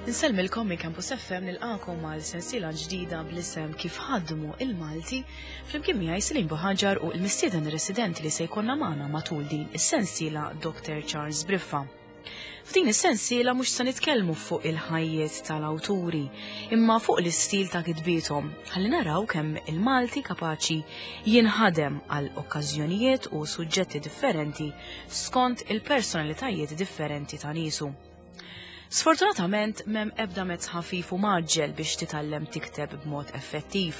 Insellmilkom minn Campus FM nilqakom għal sensiela ġdida bl-isem Kif ħadmu il-Malti flimkien miegħi Celine Buhaġar u l-mistieden residenti li se jkollna magħna matul din is-sensiela Dr. Charles Briffa. F'din is-sensiela mhux se nitkellmu fuq il-ħajjiet tal-awturi, imma fuq l-istil ta' kitbiethom, ħalli naraw kemm il-Malti kapaċi jinħadem għal okkażjonijiet u suġġetti differenti skont il-personalitajiet differenti ta' niesu. Sfortunatament m'hemm ebda mezz ħafif u mgħaġġel biex titgħallem tikteb b'mod effettiv.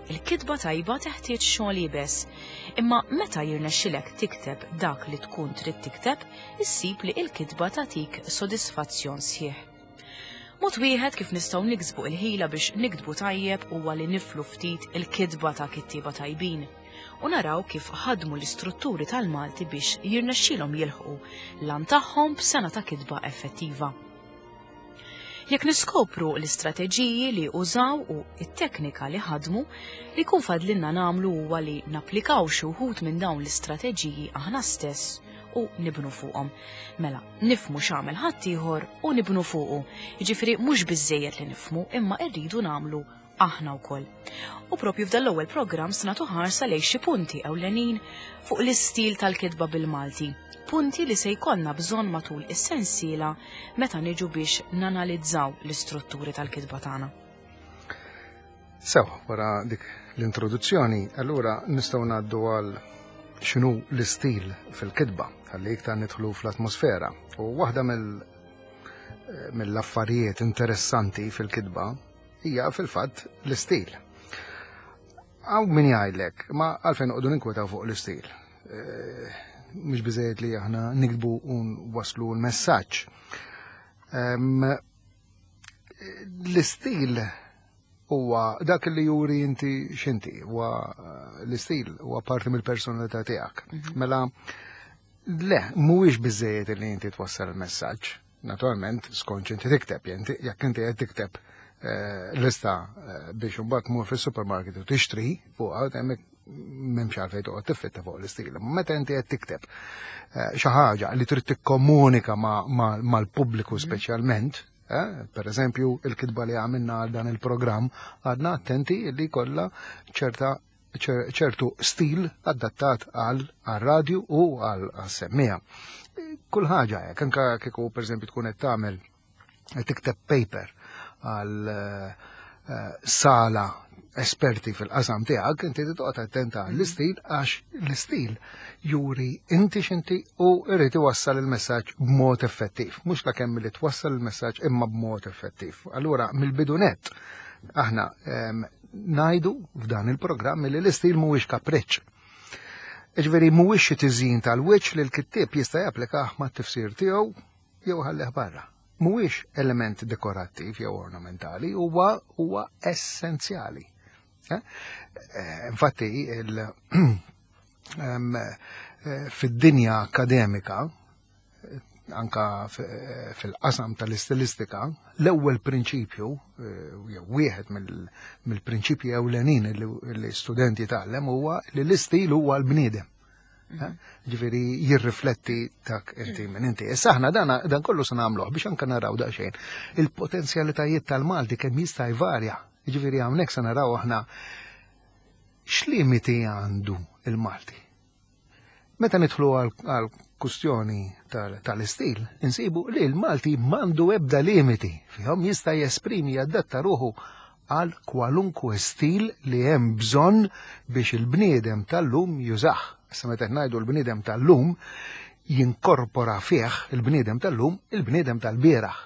Il-kitba tajba teħtieġ xogħol iebes, imma meta jirnexxilek tikteb dak li tkun trid tikteb, issib li il-kitba tagħtik sodisfazzjon sħiħ. Mod wieħed kif nistgħu niksbu il-ħila biex niktbu tajjeb huwa li niflu ftit il-kitba ta' kittieba tajbin u naraw kif ħadmu l-istrutturi tal-Malti biex jirnexxilhom jilħqu l-għan tagħhom b'sena ta' kitba effettiva. Jekk niskopru l-istrateġiji li użaw u t-teknika li ħadmu, li jkun fadlinna nagħmlu huwa li napplikaw xi wħud minn dawn l-istrateġiji aħna stess u nibnu fuqhom. Mela, nifhmu x'għamel ħaddieħor u nibnu fuqu. Jiġifieri mhux biżżejjed li nifhmu imma rridu nagħmlu aħna wkoll. U propju f'dan l-ewwel programm se nagħtu ħarsa lejn xi punti ewlenin fuq l-istil tal-kitba bil-Malti. Punti li se jkollna bżonn matul is-sensiela meta niġu biex nanalizzaw l-istrutturi tal-kitba tagħna. Sew, wara dik l-introduzzjoni, allura nistgħu ngħaddu għal x'inhu l-istil fil-kitba, ħalli iktar nidħlu fl-atmosfera. U waħda mill-affarijiet interessanti fil-kitba hija fil-fatt l-istil. Hawn min jgħidlek, ma għalfejn noqogħdu ninkwetaw fuq l-istil. Eh, mhux biżejjed li aħna nikbu u waslu l-messaġġ. L-istil huwa dak li juri inti x'inti, huwa eh, l-istil huwa parti mill-personalità tiegħek. Mhm. Mela le, mhuwiex biżejjed li inti twassal il-messaġġ. Naturalment, skont inti tikteb, jekk inti qed tikteb eh, lista eh, biex imbagħad tmur fis-supermarket u tixtri fuqha hemmhekk m'hemmx għalfejn toqgħod tiffitta fuq l-istil. Meta inti qed tikteb eh, xi ħaġa li trid tikkomunika mal-pubbliku mhm. speċjalment, per eżempju, il-kitba li għamilna għal dan il-programm, għadna attenti li kollha ċerta ċertu stil adattat għal radju u għal semmija. Kull ħaġa hekk, anka kieku pereżempju tkun qed tagħmel tikteb paper għal eh, sala esperti fil-qasam tiegħek, inti toqgħod attenta għall-istil għax l-istil juri inti x'inti u jrid iwassal il-messaġġ b'mod effettiv. Mhux la kemm li twassal il-messaġġ imma b'mod effettiv. Allura mill-bidu nett aħna ehm, Ngħidu f'dan il-programm li l-istil mhuwiex kapriċċ. Jiġifieri mhuwiex xi tiżjin tal-wiċċ li l-kittieb jista' japplikah mat-tifsir tiegħu jew iħallih barra. Mhuwiex element dekorattiv jew ornamentali, huwa huwa essenzjali. Eh? Eh, infatti, eh, fid-dinja akademika, anka fil-qasam tal-istilistika, l-ewwel prinċipju, eh, jew wieħed mill-prinċipji ewlenin li student jitgħallem huwa li l-istil huwa l-bniedem. Eh? Mhm. Ġifieri jirrifletti dak inti minn inti. Issa aħna dan kollu se nagħmluh biex anke naraw daqsxejn il-potenzjalitajiet tal-Malti kemm jista' jvarja. Ġifieri hawnhekk se naraw aħna x'limiti għandu il-Malti. Meta nidħlu għal kustjoni tal-istil, insibu li l-Malti mandu ebda limiti fihom jista' jesprimi jadatta ruħu għal kwalunkwe stil li hemm bżonn biex il-bniedem tal-lum jużah. Issa meta ngħidu l-bniedem tal-lum, jinkorpora fih il-bniedem tal-lum il-bniedem tal-bieraħ.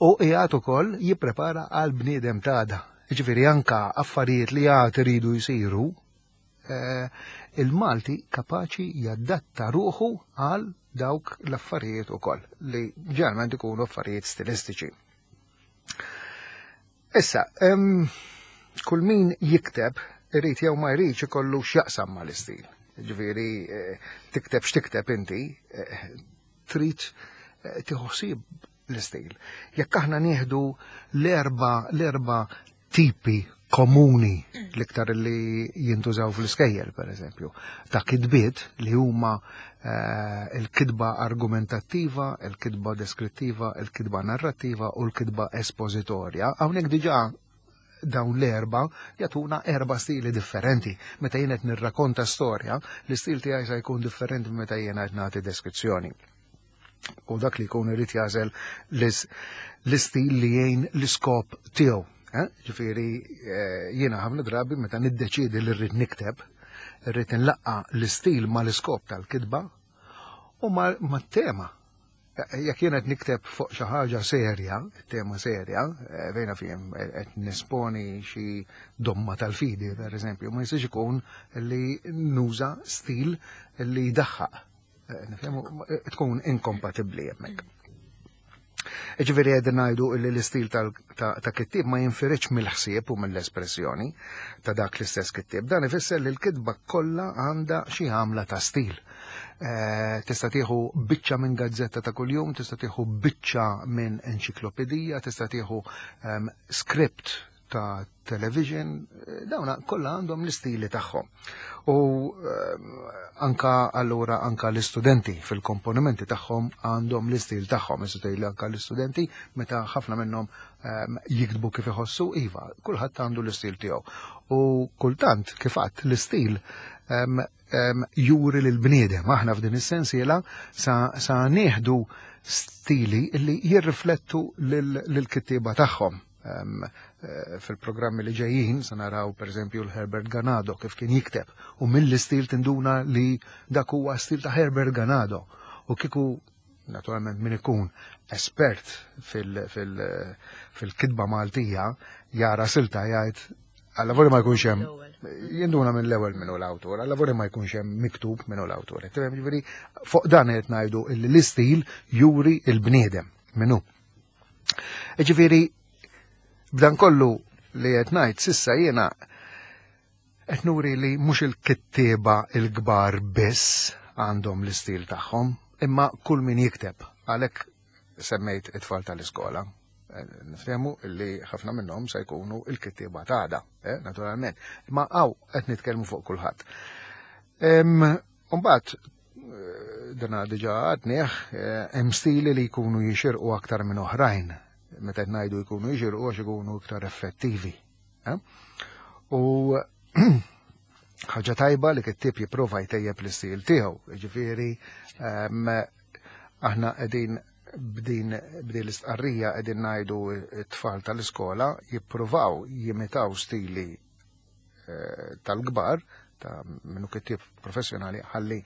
U qiegħed ukoll jipprepara għal bniedem t'għada. Jiġifieri anka affarijiet li għad iridu jsiru Eh, il-Malti kapaċi jadatta ruħu għal dawk l-affarijiet ukoll li ġeneralment ikunu affarijiet stilistiċi. Issa, kull min jikteb irid jew ma jridx ikollu x'jaqsam mal-istil. Ġifieri eh, tikteb x'tikteb inti, eh, trid tieħu ħsieb l-istil. Jekk aħna nieħdu l-erba' l-erba' tipi komuni l-iktar li jintużaw fl-iskejjel, per eżempju, ta' kitbiet li huma eh, il-kitba argumentattiva, il-kitba deskrittiva, il-kitba narrattiva u l-kitba espożitorja. Hawnhekk diġà dawn l-erba jagħtuna erba' stili differenti. Meta jien qed nirrakonta storja, l-istil tiegħi se jkun differenti meta jien qed nagħti deskrizzjoni. U dak li jkun irid jagħżel l-istil li jgħin l-iskop tiegħu. Eh? Ġifieri eh, jiena ħafna drabi meta niddeċiedi li rrid nikteb, rrid nlaqqa l-istil mal-iskop tal-kitba u mat-tema. Eh, jekk jien qed nikteb fuq xi ħaġa serja, tema serja, fejna fihom qed nisponi xi domma tal-fidi, per eżempju, ma jistax ikun li nuża stil li jdaħħaq. Nifhemu tkun inkompatibbli hemmhekk. Ġifieri qegħdin ngħidu li l-istil ta' kittieb ma jinfiridx mill-ħsieb u mill-espressjoni ta' dak l-istess kittieb. Dan ifisser li l-kitba kollha għandha xi għamla ta' stil. Eh, tista' tieħu biċċa minn gazzetta ta' kuljum, tista' tieħu biċċa minn enċiklopedija, tista' tieħu ehm, script ta' television, eh, dawna kollha għandhom l-istili tagħhom. U eh, anka allura anka l-istudenti fil-komponimenti tagħhom għandhom l-istil tagħhom, issa tgħidli anka l-istudenti meta ħafna minnhom eh, jiktbu kif iħossu, iva, kulħadd għandu l-istil tiegħu. U kultant kif għadd l-istil juri lil bniedem aħna f'din is-sensiela sa, sa nieħdu stili li jirriflettu lil kittieba tagħhom. Eh, fil-programmi li ġejjin se naraw pereżempju l-Herbert Ganado kif kien jikteb u mill-istil tinduna li dak huwa stil ta' Herbert Ganado u kiku naturalment min ikun espert fil-kitba Maltija jara silta jgħid alla voli ma jkunx hemm jinduna minn l-ewwel minnu l-awtur, alla voli ma jkunx hemm miktub minnu l-awtur. Ġifieri fuq dan qed ngħidu l-istil juri il-bniedem minnu. Ġifieri b'dan kollu li qed ngħid sissa jiena qed nuri li mhux il-kittieba il-kbar biss għandhom l-istil tagħhom, imma kull min jikteb. Għalhekk semmejt it-tfal tal-iskola. Eh, nifhemu li ħafna minnhom se jkunu il-kittieba t'għada, eh, naturalment. Imma hawn qed nitkellmu fuq kulħadd. Mbagħad eh, dana diġà għadnieh hemm stili li jkunu jixirqu aktar minn oħrajn. Meta qed ngħidu jkunu jixirqu għax ikunu iktar effettivi. U ħaġa tajba li kittieb jipprova jtejjeb l-istil tiegħu. Ġifieri aħna qegħdin b'din b'din l-istqarrija qegħdin ngħidu t-tfal tal-iskola jippruvaw jimitaw stili eh, tal-kbar ta' minnu kittieb professjonali ħalli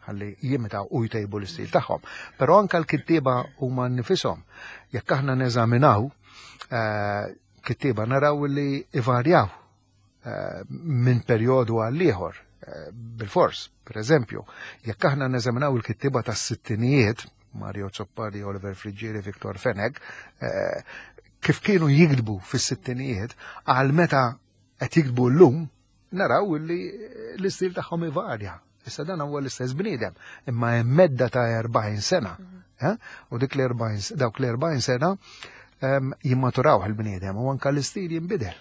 ħalli jimitaw u jtejbu l-istil tagħhom. Però anka l-kittieba huma nifishom. Jekk aħna neżaminaw eh, kittieba naraw li ivarjaw eh, minn perjodu għal ieħor eh, bil-fors. Per eżempju, jekk aħna neżaminaw il-kittieba tas-sittinijiet, Mario Azzopardi, Oliver Friggieri, Victor Fenech, eh, kif kienu jiktbu fis-sittinijiet, għal meta qed jiktbu llum, naraw li l-istil tagħhom ivarja. Issa dan huwa l-istess bniedem, imma hemm medda ta' 40 sena. Eh? U dik l-40 dawk l-40 sena jimmaturaw il-bniedem u anka l-istil jinbidel.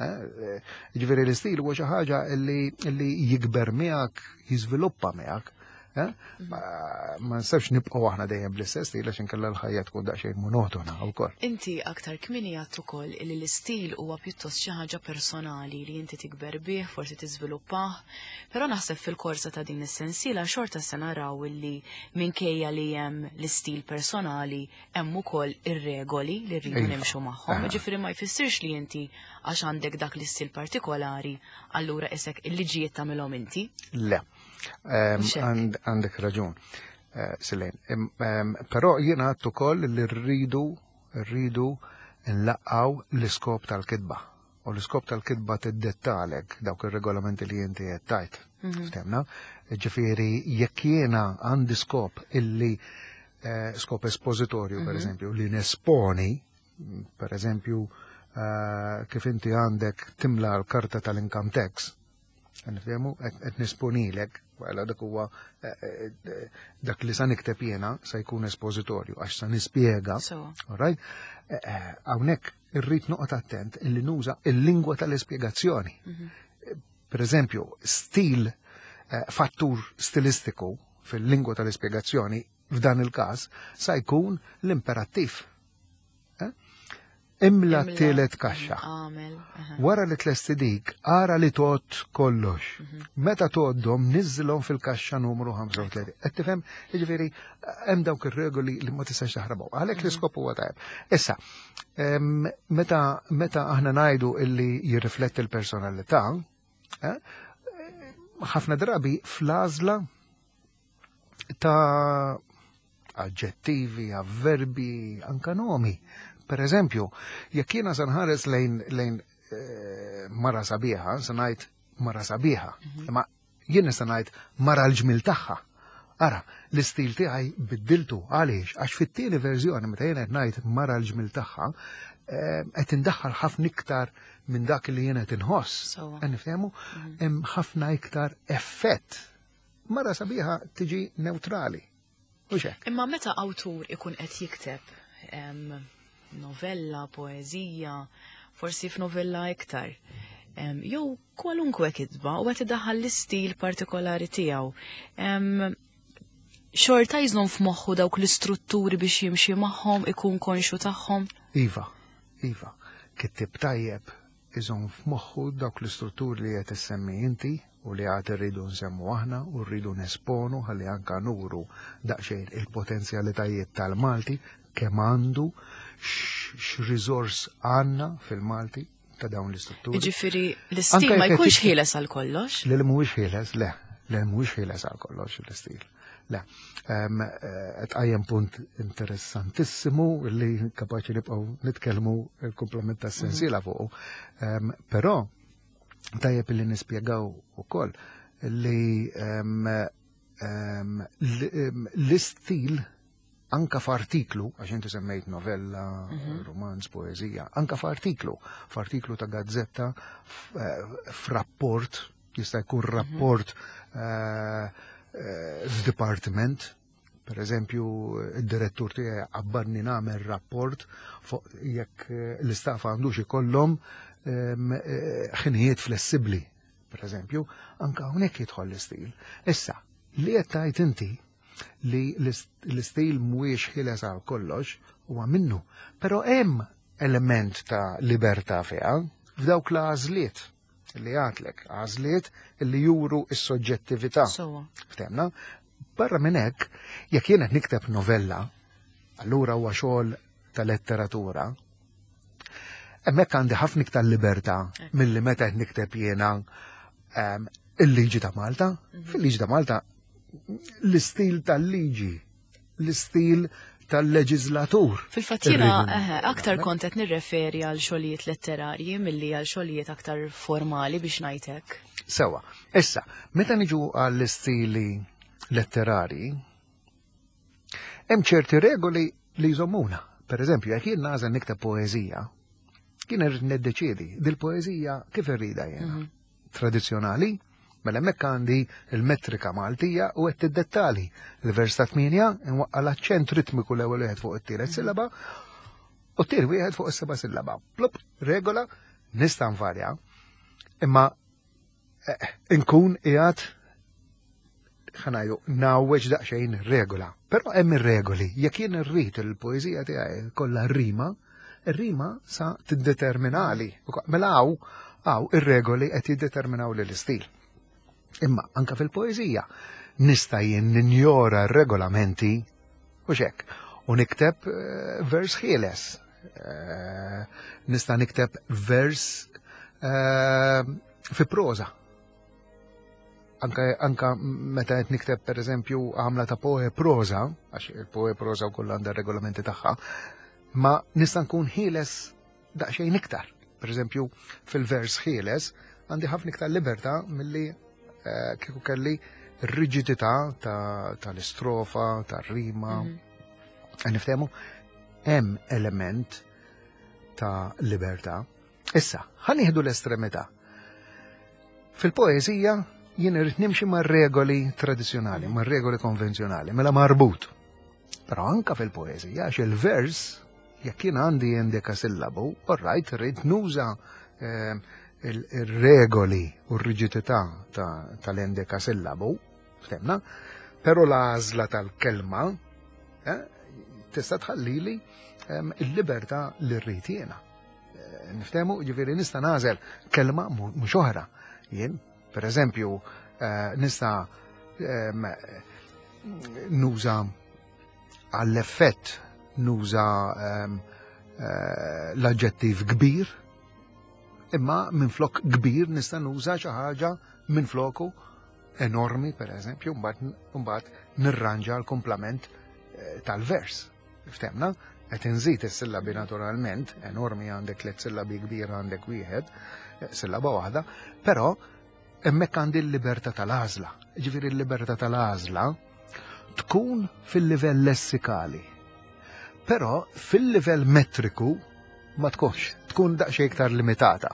Eh? Ġifieri l-istil huwa xi ħaġa li jikber miegħek, jiżviluppa miegħek. Eh? Ma nistax nibqgħu aħna dejjem bl-istess stil għax inkella l-ħajja tkun daqsxejn monotona wkoll. Inti aktar kmieni għedt ukoll li l-istil huwa pjuttost xi ħaġa personali li inti tikber bih, forsi tiżviluppah, però naħseb fil-korsa ta' din is-sensiela xorta se naraw illi minkejja li hemm l-istil personali hemm ukoll ir-regoli li rridu nimxu magħhom. Ġifieri ma jfissirx li inti għax għandek dak l-istil partikolari, allura isek il-liġijiet tagħmilhom inti. Le. Għandek raġun, eh, Silene. Però jiena għedt ukoll li rridu rridu nlaqqaw l-iskop tal-kitba. U l-iskop tal-kitba tiddettalek dawk ir-regolamenti li inti qed tajt. Ftemna? Ġifieri jekk jiena għandi skop illi eh, skop espożitorju, per eżempju, li nesponi, per eżempju, eh, kif inti għandek timla l-karta tal-income tax, nifhemu qed nesponilek, għala dak huwa eh, dak li sa nikteb jiena sa jkun espożitorju għax sa nispjega. All right? Hawnhekk. Irrid noqgħod attent illi nuża il-lingwa tal-ispjegazzjoni. Per eżempju, stil fattur stilistiku fil-lingwa tal-ispjegazzjoni f'dan il-każ sa jkun l-imperattiv. Eh? Imla t-tielet kaxxa. Wara li tlesti dik, ara li tot kollox. Meta toddhom niżilhom fil-kaxxa numru 35. Qed tifhem, jiġifieri hemm dawk ir-regoli li ma tistax taħrabhom. Għalhekk l-iskop huwa tajjeb. Issa, meta meta aħna ngħidu illi jirrifletti l-personalità, eh, ħafna drabi fl-għażla ta' aġġettivi, avverbi, anka nomi. Per eżempju, jekk jiena se nħares lejn lejn mara sabiħa, se ngħid mara sabiħa, imma jien nista' ngħid mara l-ġmil tagħha. Ara, l-istil tiegħi biddiltu għaliex għax fit-tieni verżjoni meta jien qed ngħid mara l-ġmil tagħha, qed indaħħal ħafna iktar minn dak li jien qed inħoss. Qed niftehmu hemm ħafna iktar effett. Mara sabiħa tiġi neutrali. U hekk. Imma meta awtur ikun qed jikteb novella, poeżija, forsi f'novella iktar, jew kwalunkwe kitba u qed idaħħal l-istil partikolari tiegħu. Xorta jżomm f'moħħu dawk l-istrutturi biex jimxi magħhom, ikun konxu tagħhom? Iva, iva. Kittib tajjeb iżomm f'moħħu dawk l-istrutturi li qed issemmi inti u li għad irridu nsemmu aħna u rridu nesponu ħalli anka nuru daqsxejn il-potenzjalitajiet tal-Malti kemm għandu x'riżors għandna fil-Malti ta' dawn l-istrutturi. Jiġifieri l-istil ma jkunx ħieles għal kollox. Le li mhuwiex ħieles, le, le mhuwiex ħieles għal kollox l-istil. Le, tqajjem punt interessantissimu li kapaċi nibqgħu nitkellmu il-komplement tas-sensiela fuqu. Però tajjeb li nispjegaw ukoll li l-istil anka f'artiklu, għax inti semmejt novella, romanz, poezija, anka f'artiklu, f'artiklu ta' gazzetta, f'rapport, jista' jkun rapport f'dipartiment, per eżempju, id-direttur tiegħi qabbarni nagħmel rapport fuq jekk l-istaff għandux ikollhom ħinijiet flessibbli, per eżempju, anka hawnhekk jidħol l-istil. Issa, li qed tgħid inti li l-istil mhuwiex ħieles għal kollox huwa minnu, però hemm element ta' libertà fiha f'dawk l-għażliet li għatlek, għażliet li juru s-soġġettività. Ftemna? Barra minn hekk, jekk jien qed nikteb novella, allura huwa xogħol ta' letteratura, hemmhekk għandi ħafna iktar libertà milli meta qed nikteb jiena il-liġi ta' Malta. Fil-liġi ta' Malta l-istil tal-liġi, l-istil tal-leġislatur. Fil-fatt jiena aktar kont qed nirreferi għal xogħlijiet letterarji milli għal xogħlijiet aktar formali biex ngħid hekk. Sewa, issa, meta niġu għall-istili letterarji, hemm ċerti regoli li jżommuna. Per eżempju, jekk jien nagħżel nikteb poeżija, jien irrid niddeċiedi dil-poeżija kif irridha jiena. Tradizzjonali, mela hemmhekk għandi il-metrika Maltija u qed tiddettali. Il-vers ta' 8 inwaqqa' l-aċċent ritmiku l-ewwel wieħed fuq it-tielet sillaba u t-tieni wieħed fuq is-seba' sillaba. Plup, regola, nista' nvarja, imma inkun qiegħed ħanajdu nawweġ daqsxejn regola. Però hemm ir-regoli, jekk jien irrid il-poeżija tiegħi kollha rima, ir-rima sa tiddeterminali. Mela hawn ir-regoli qed jiddeterminaw lil istil. Imma anka fil-poeżija nista' jien ninjora r-regolamenti u xek u nikteb vers ħieles. Nista' nikteb vers fi proża. Anka meta qed nikteb per eżempju għamla ta' poe proża, għax il-poe proża wkoll għandha regolamenti tagħha, ma nista' nkun ħieles daqsxejn iktar. Per eżempju, fil-vers ħieles għandi ħafna iktar libertà milli kieku kelli rigidità tal-istrofa, tar-rima. Niftehmu, hemm element ta' libertà. Issa, ħa nieħdu l-estremità. Fil-poeżija jien irrid nimxi mar-regoli tradizzjonali, mar-regoli konvenzjonali, mela marbut. Però anka fil-poeżija, għax il-vers Jekk jien għandi endekasillabu, all right, rrid nuża il-regoli u r-riġidità tal-endekasillabu, ftemna, però l-għażla tal-kelma eh, tista' tħallili il-libertà li rrid jiena. Eh, niftehmu, ġifieri nista' nagħżel kelma mhux oħra. Jien, per eżempju, eh, nista' nuża għall-effett nuża l-aġġettiv kbir, imma minflok kbir nista' nuża xi ħaġa minfloku enormi, per eżempju, mbagħad nirranġa l-kumplament eh, tal-vers. Ftemna, qed inżid is-sillabi naturalment, enormi għandek tliet sillabi kbir għandek wieħed, eh, sillaba waħda, però hemmhekk għandi l-libertà tal-għażla. Ġifieri l-libertà tal-għażla tkun fil-livell lessikali. Però fil-livell metriku ma tkunx, tkun daqsxejn iktar limitata.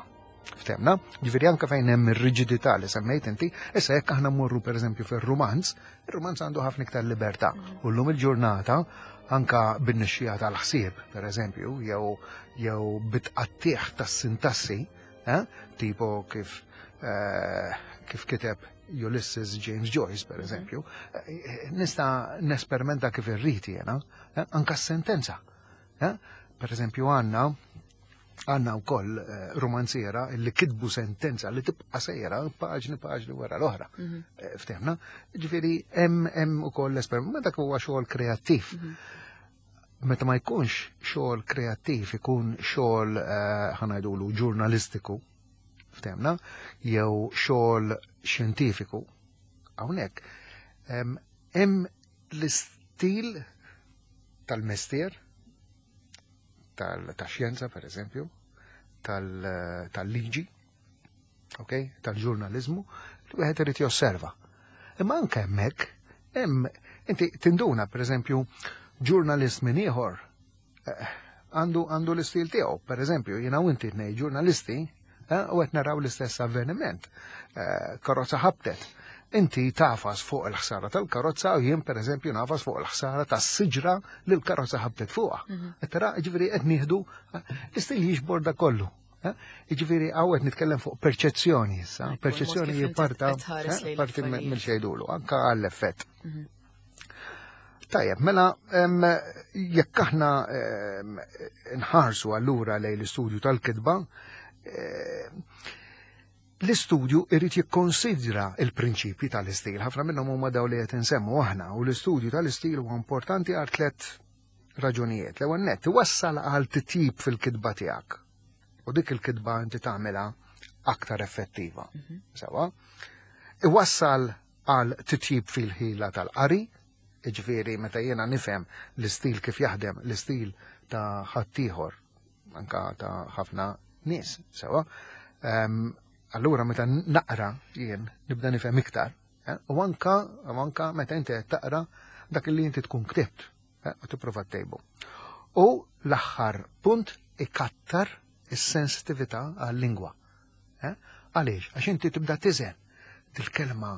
Ftemna? Ġifieri anke fejn hemm ir-riġidità li semmejt inti, issa jekk aħna mmorru pereżempju fir-rumanz, ir-rumanz għandu ħafna iktar libertà. U llum il-ġurnata anka bin-nixxija tal-ħsieb, pereżempju, jew jew bitqattieħ tas-sintassi, eh? tipo kif eh, kif kiteb Ulysses James Joyce, per eżempju, eh, nista' nesperimenta kif irrid jiena, eh, anka s-sentenza. Eh? Per eżempju, għanna għanna u koll eh, romanziera li kitbu sentenza li tibqa sejra paġni paġni wara l-oħra. Mhm. Eh, Ftehmna, ġifieri hemm hemm ukoll l-esperiment, ma dak huwa xogħol kreattiv. Mhm. Meta ma jkunx xogħol kreattiv, ikun xogħol eh, ħanajdulu ġurnalistiku, ftehmna, jew xogħol xjentifiku. Hawnhekk hemm l-istil tal-mestier, tal-xjenza per eżempju, tal-liġi, ok, tal-ġurnalizmu, li wieħed irid josserva. Imma anke hemmhekk, hemm inti tinduna per eżempju ġurnalist minn ieħor eh, għandu għandu l-istil tiegħu. Per eżempju, jiena u inti tnej ġurnalisti eh, u qed naraw l-istess avveniment. Eh, karozza ħabtet. Inti tafas fuq il-ħsara tal-karozza u jien per eżempju nafas fuq il-ħsara tas-siġra li l-karozza ħabtet fuqha. Mhm. Qed tara, ġifieri qed nieħdu l-istil jiġbor da kollu. Jiġifieri hawn qed nitkellem fuq perċezzjoni issa, perċezzjoni hi parta parti mill xejdulu, anka għall-effett. Mhm. Tajjeb, mela jekk aħna nħarsu allura lejn l-istudju tal-kitba, l-istudju irid jikkonsidra il-prinċipji tal-istil. Ħafna minnhom huma daw li qed insemmu aħna u l-istudju tal-istil huwa importanti għal tliet raġunijiet. L-ewwel nett iwassal għal titjib fil-kitba tiegħek. U dik il-kitba inti tagħmilha aktar effettiva. Mhm. Sewa. Iwassal għal titjib fil-ħila tal-qari, jiġifieri meta jiena nifhem l-istil kif jaħdem, l-istil ta' ħaddieħor, anka ta' ħafna nies, sewa. Ehm, allura meta naqra jien nibda nifhem iktar, eh, u anka u anka meta inti qed taqra dak li inti tkun ktibt eh, u tipprova ttejbu. U l-aħħar punt ikattar is-sensitività għal-lingwa. Eh? Għaliex? Għax inti tibda tiżen dil-kelma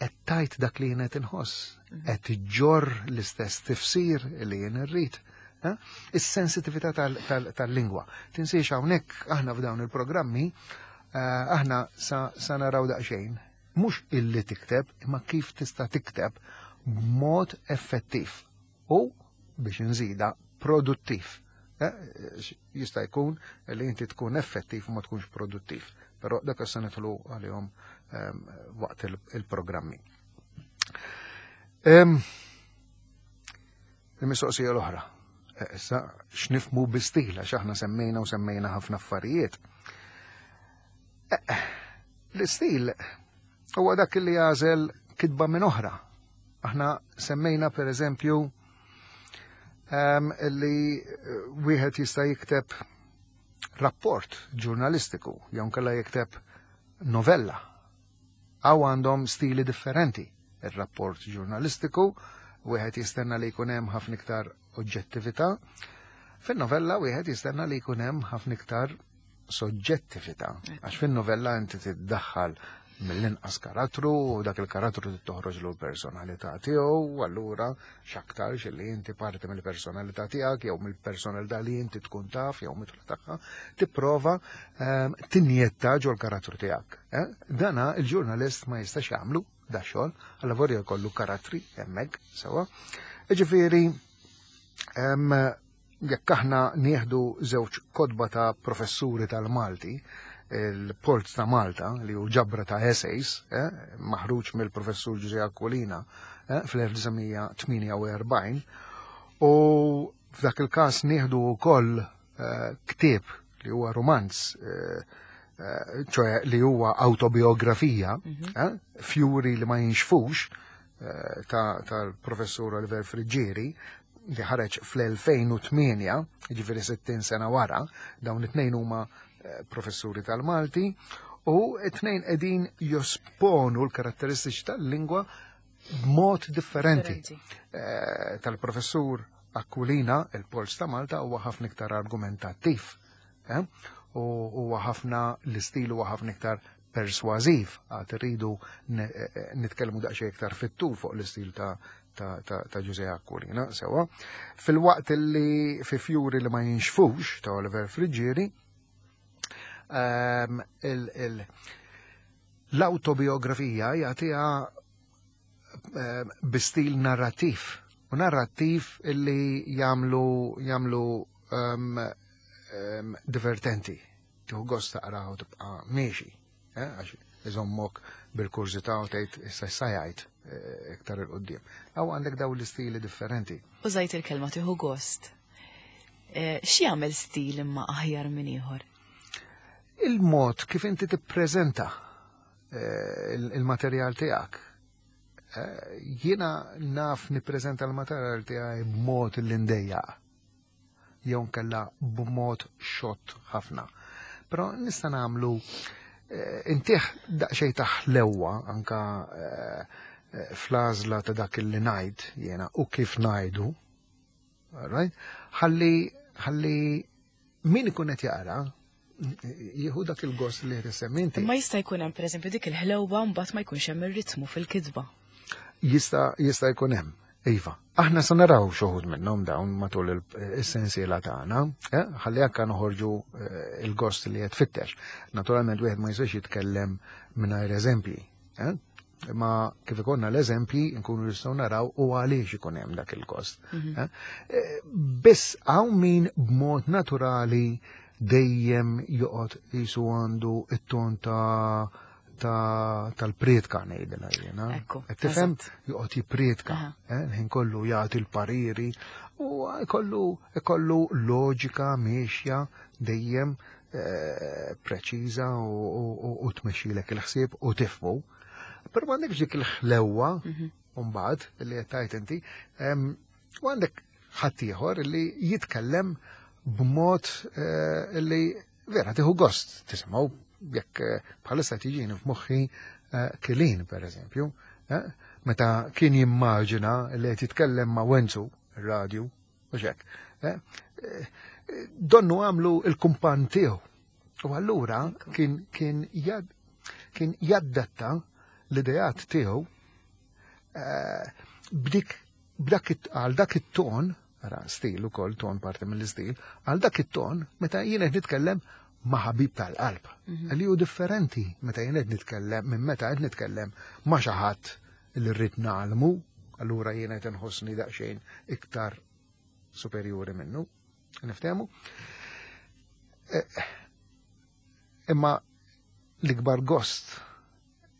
qed tajt dak li jien qed inħoss, mhm. qed iġġorr l-istess tifsir li jien irrid. Eh? Is-sensitività tal-lingwa. Tinsiex hawnhekk aħna f'dawn il-programmi eh, aħna sa naraw daqsxejn mhux illi tikteb, imma kif tista' tikteb b'mod effettiv. U biex nżida produttiv. Eh, jista' jkun li inti tkun effettiv u ma tkunx produttiv. Però dak se nidħlu għalihom ehm, waqt il-programmi. Ehm, il-mistoqsija l-oħra. Eh, issa x'nifmu bi stil għax aħna semmejna u semmejna ħafna affarijiet. Eh, l-istil huwa dak li jagħżel kitba minn oħra. Aħna semmejna per eżempju ehm, li eh, wieħed jista' jikteb rapport ġurnalistiku jew nkella jikteb novella. Għaw għandhom stili differenti. Ir-rapport ġurnalistiku wieħed jistenna li jkun hemm ħafna iktar oġġettività. Fin-novella wieħed jistenna li jkun hemm ħafna iktar soġġettività. Għax fin-novella inti tiddaħħal mill-inqas karattru, u dak il-karattru toħroġ l-personalità tiegħu, allura x'aktarx li inti parti mill-personalità tiegħek jew mill-personalità li inti tkun taf jew mitla tagħha, tipprova tinjetta ġol karattru tiegħek. Eh? Dana il-ġurnalist ma jistax jagħmlu da xogħol, alla vorja jkollu karattri hemmhekk sewwa. Ġifieri jekk aħna nieħdu żewġ kotba ta' professuri tal-Malti, il-Port ta' Malta, li hu ġabra ta' essays, maħruġ mill-professur Ġużè Aquilina fl-1948, u f'dak il-każ nieħdu wkoll ktieb li huwa romanz, ċoè li huwa autobiografija, Fjuri li ma jinxfux, tal-professur Oliver Friggieri, li ħareġ fl-2008, ġifieri 60 sena wara, dawn it-tnejn huma professuri tal-Malti, u it-tnejn qegħdin josponu l-karatteristiċi tal-lingwa b'mod differenti. Tal-professur Aquilina, il-Polz ta' Malta, huwa ħafna iktar argumentattiv. U huwa ħafna l-istil huwa ħafna iktar persważiv, għad irridu nitkellmu daqsxejn iktar fit-tul fuq l-istil ta' Ġużè Aquilina, sewa. Fil-waqt li fi Fjuri li ma jinxfux ta' Oliver Friggieri, l-autobiografija jagħtiha bi stil narrattiv, u narrattiv illi jagħmlu divertenti. Tieħu gost taqra u tibqa' miexi, għax iżommok bil-kurżità u tgħid issa issa jgħid iktar il quddiem. Aw għandek daw l-istili differenti. Użajt il-kelma tieħu gost. X'jagħmel stil imma aħjar minn ieħor? Il-mod kif inti tippreżenta il-materjal tiegħek. Jiena naf nippreżenta l-materjal tiegħi b'mod li ndejjaq, jew nkella b'mod xott ħafna. Però nista' nagħmlu intih daqsxejn ta' ħlewwa anka fl-għażla ta' dak li ngħid jiena u kif ngħidu. Right? Ħalli min ikun qed jaqra jieħu dak il-gost li qed issemmi inti. Ma jista' jkun hemm pereżempju dik il-ħlewwa mbagħad ma jkunx hemm ir-ritmu fil-kitba. Jista' jkun hemm. Iva, aħna se naraw xi wħud minnhom dawn matul is-sensiela tagħna, ħalli anke noħorġu il-gost li qed tfittex. Naturalment wieħed ma jistax jitkellem mingħajr eżempji, Ma kif ikollna l-eżempji nkunu nistgħu naraw u għaliex ikun hemm dak il-gost. Biss hawn min b'mod naturali dejjem joqgħod qisu għandu it-ton tal-prietka ngħidilha jiena. Qed tifhem? Joqgħod jipprietka, ħin kollu jagħti l-pariri u ikollu loġika miexja dejjem preċiża u tmexxilek il-ħsieb u tifhmu. Però m'għandekx dik il-ħlewwa mbagħad li qed tgħid inti, u għandek ħaddieħor li jitkellem b'mod li vera tieħu gost tisimgħu, jekk bħalissa tiġini f'moħħi Kilin pereżempju, meta kien jimmaġina li qed jitkellem ma' Wenzu ir-radju u xek. Donnu għamlu il-kumpan tiegħu. U allura kien jaddatta l-ideat tiegħu għal dak it-ton, ara stil ukoll, ton parti mill-istil, għal dak it-ton meta jien qed nitkellem ma' ħabib tal-qalb. Li hu differenti meta jien qed nitkellem minn meta qed nitkellem ma' xi ħadd li rrid nagħlmu, allura jien qed inħossni daqsxejn iktar superjuri minnu. Niftehmu? Imma l-ikbar gost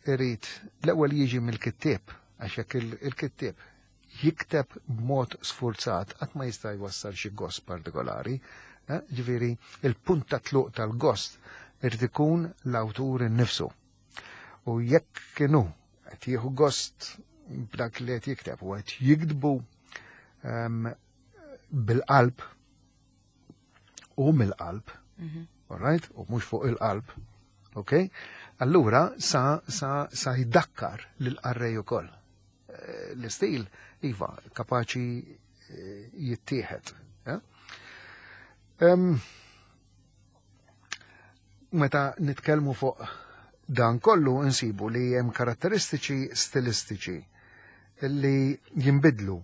irid l-ewwel jiġi mill-kittieb, għax jekk il-kittieb jikteb b'mod sfurzat qatt ma jista' jwassal xi gost partikolari. Ġifieri il-punt ta' tluq tal-gost irid ikun l-awtur innifsu. U jekk kienu qed jieħu gost b'dak li qed jikteb u qed jiktbu bil-qalb u mill-qalb, all right? U mhux fuq il-qalb, ok? Allura sa jdakkar lil qarrej ukoll. L-istil, iva, kapaċi jittieħed. Meta nitkellmu fuq Dan kollu insibu li hemm karatteristiċi stilistiċi li jinbidlu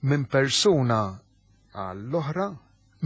minn persuna għall-oħra,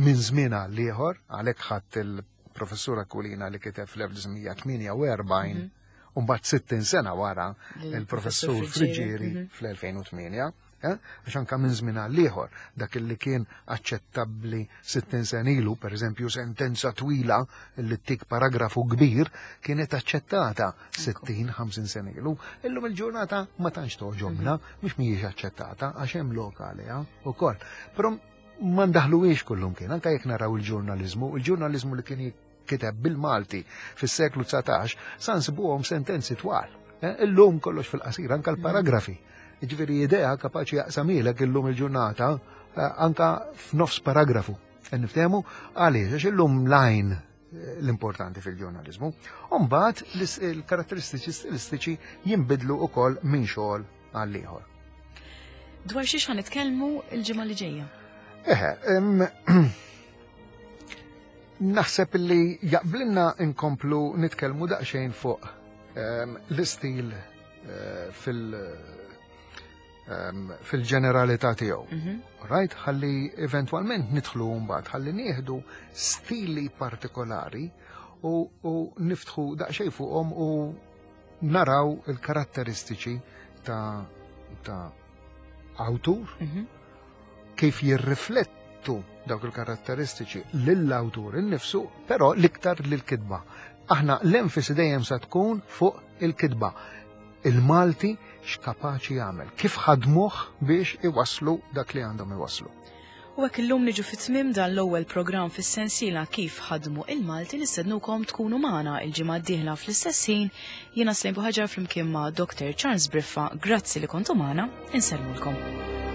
minn żmien għal ieħor, għalhekk ħadd il-professur Aquilina li kiteb fl-1948 u mbagħad 60 sena wara il-professur Friggieri fl-2008, għax anka minn żmien għal ieħor dak li kien aċċettabbli 60 sena ilu, pereżempju sentenza twila li tik paragrafu kbir kienet aċċettata 60-50 sena ilu. Illum il-ġurnata ma tantx toġobna, mhux mhijiex aċċettata għax hemm lok għaliha wkoll. Però ma ndaħluhiex kullum kien, anka jekk naraw il-ġurnaliżmu, il-ġurnaliżmu li kien kiteb bil-Malti fis-seklu 19 sa nsibuhom sentenzi twal. Illum kollox fil-qasir, anka l-paragrafi. Ġifieri idea kapaċi jaqsamilek illum il-ġurnata anka f'nofs paragrafu. Niftehmu għaliex għax illum lajn l-importanti fil-ġurnaliżmu. U mbagħad il-karatteristiċi stilistiċi jinbidlu wkoll minn xogħol għal ieħor. Dwar xiex ħa nitkellmu l-ġimgħa li ġejja? Eħe, naħseb li jaqblinna inkomplu nitkellmu daqsxejn fuq l-istil fil-ġeneralità tiegħu. Right? Ħalli eventwalment nidħlu mbagħad ħalli nieħdu stili partikolari u niftħu daqsxejn fuqhom u naraw il-karatteristiċi ta' awtur, kif jirriflettu dawk il-karatteristiċi lill-awtur innifsu, però l-iktar lill-kitba. Aħna l-enfasi dejjem sa tkun fuq il-kitba. Il-Malti x'kapaċi jagħmel, kif ħadmuh biex iwasslu dak li għandhom iwasslu. U hekk illum niġu fit-tmiem dan l-ewwel programm fis-sensiela Kif ħadmu il-Malti, nistednukom tkunu magħna il-ġimgħa d-dieħla fl-istess ħin. Jiena Slejn Buħaġar flimkien ma' Dr. Charles Briffa, grazzi li kontu magħna, insellmulkom.